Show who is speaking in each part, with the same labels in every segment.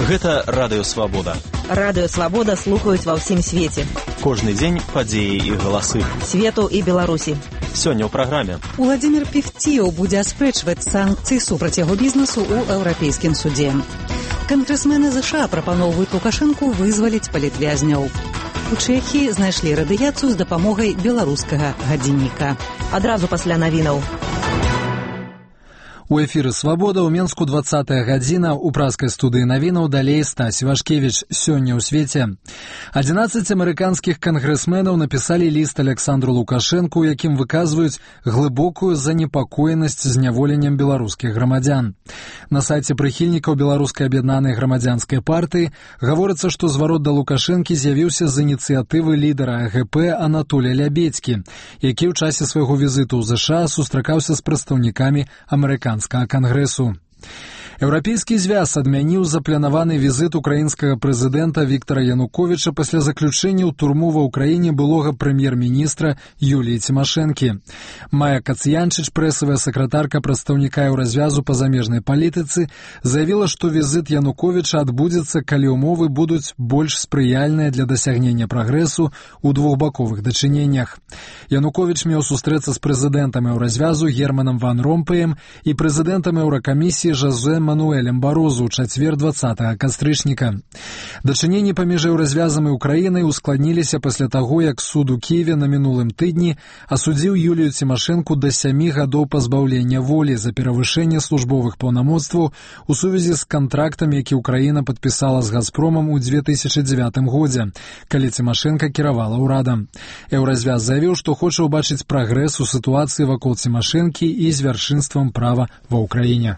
Speaker 1: Гэта Радыё Свабода.
Speaker 2: Радыё Свабода слухаюць ва ўсім свеце.
Speaker 1: Кожны дзень падзеі і галасы.
Speaker 2: Свету і Беларусі.
Speaker 1: Сёння ў праграме.
Speaker 3: Уладзімір Певціў будзе аспрэчваць санкцыі супраць яго бізнесу ў Еўрапейскім судзе. Кангрэсмены США прапаноўваюць Лукашэнку вызваліць палітвязняў. У Чэхіі знайшлі радыяцыю з дапамогай беларускага гадзінніка.
Speaker 2: Адразу пасля навінаў.
Speaker 4: У эфіры «Свабода» ў Менску 20-я гадзіна, у праскай студыі навінаў далей Стась Івашкевіч. Сёння ў свеце. 11 амерыканскіх кангрэсменаў напісалі ліст Александру Лукашэнку, у якім выказваюць глыбокую занепакоенасць зняволеннем беларускіх грамадзян. На сайце прыхільнікаў Беларускай аб'яднанай грамадзянскай партыі гаворыцца, што зварот да Лукашэнкі з'явіўся з ініцыятывы лідара АГП Анатолія Лябедзькі, які ў часе свайго візіту ў ЗША сустракаўся з прадстаўнікамі амерыканскага кангрэсу. Еўрапейскі звяз адмяніў запланаваны візіт украінскага прэзідэнта Віктара Януковіча пасля заключэння ў турму ва ўкраіне былога прэм'ер-міністра Юліі Цімашэнкі. Майя Кацянчыч, прэсавая сакратарка прадстаўніка Еўразвязу па замежнай палітыцы, заявіла, што візіт Януковіча адбудзецца, калі ўмовы будуць больш спрыяльныя для дасягнення прагрэсу ў двухбаковых дачыненнях. Януковіч меў сустрэцца з прэзідэнтам Еўразвязу Германам Ван Ромпеем і прэзідэнтам Еўракамісіі Жозе Мануэлем Барозу ў чацвер 20 кастрычніка. Дачыненні паміж Еўразвязам і Украінай ускладніліся пасля таго, як суд у Кіеве на мінулым тыдні асудзіў Юлію Цімашэнку да 7 гадоў пазбаўлення волі за перавышэнне службовых паўнамоцтваў у сувязі з кантрактам, які Украіна падпісала з Газпромам у 2009 годзе, калі Цімашэнка кіравала ўрадам. Еўразвяз заявіў, што хоча ўбачыць прагрэс у сітуацыі вакол Цімашэнкі і з вяршынствам права ва ўкраіне.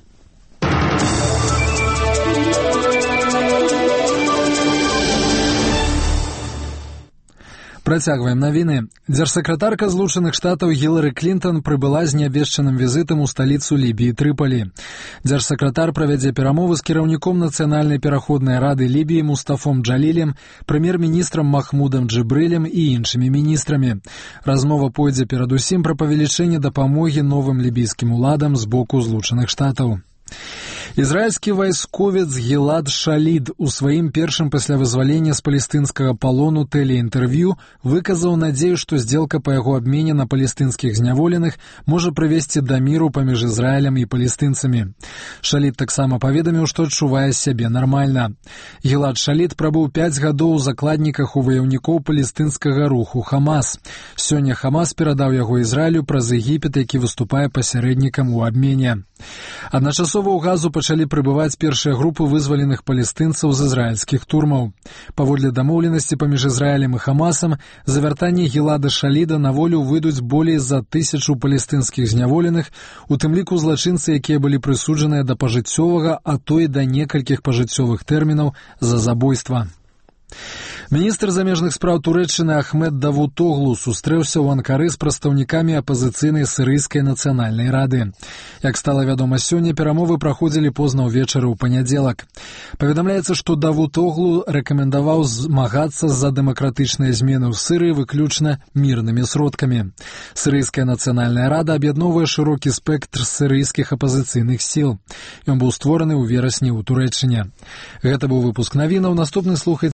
Speaker 4: Працягваем навіны. Дзяржсакратарка Злучаных Штатаў Гілары Клінтон прыбыла з неабвешчаным візітам у сталіцу Лібіі Трыпалі. Дзяржсакратар правядзе перамовы з кіраўніком Нацыянальнай пераходнай рады Лібіі Мустафом Джалілем, прэм'ер-міністрам Махмудам Джыбрылем і іншымі міністрамі. Размова пойдзе перадусім пра павелічэнне дапамогі новым лібійскім уладам з боку Злучаных Штатаў. Ізраільскі вайсковец Гілад Шалід у сваім першым пасля вызвалення з палестынскага палону тэлеінтэрв'ю выказаў надзею, што здзелка па яго абмене на палестынскіх зняволеных можа прывесці да міру паміж Ізраілем і палестынцамі. Шалід таксама паведаміў, што адчувае сябе нармальна. Гілад Шалід прабыў 5 гадоў у закладніках у ваяўнікоў палестынскага руху Хамас. Сёння Хамас перадаў яго Ізраілю праз Егіпет, які выступае пасярэднікам у абмене. Адначасова ў Газу пачалі прыбываць першыя групы вызваленых палестынцаў з ізраільскіх турмаў. Паводле дамоўленасці паміж Ізраілем і Хамасам, за вяртанне Гілада Шаліда на волю выйдуць болей за 1000 палестынскіх зняволеных, у тым ліку злачынцы, якія былі прысуджаныя да пажыццёвага, а то і да некалькіх пажыццёвых тэрмінаў за забойства. Міністр замежных спраў Турэччыны Ахмед Давутоглу сустрэўся ў Анкары з прадстаўнікамі апазіцыйнай сірыйскай нацыянальнай рады. Як стала вядома сёння, перамовы праходзілі позна ўвечары ў панядзелак. Паведамляецца, што Давутоглу рэкамендаваў змагацца за дэмакратычныя змены ў Сірыі выключна мірнымі сродкамі. Сірыйская нацыянальная рада аб'ядноўвае шырокі спектр сірыйскіх апазіцыйных сіл. Ён быў створаны ў верасні ў Турэччыне. Гэта быў выпуск навінаў. Наступны слухайце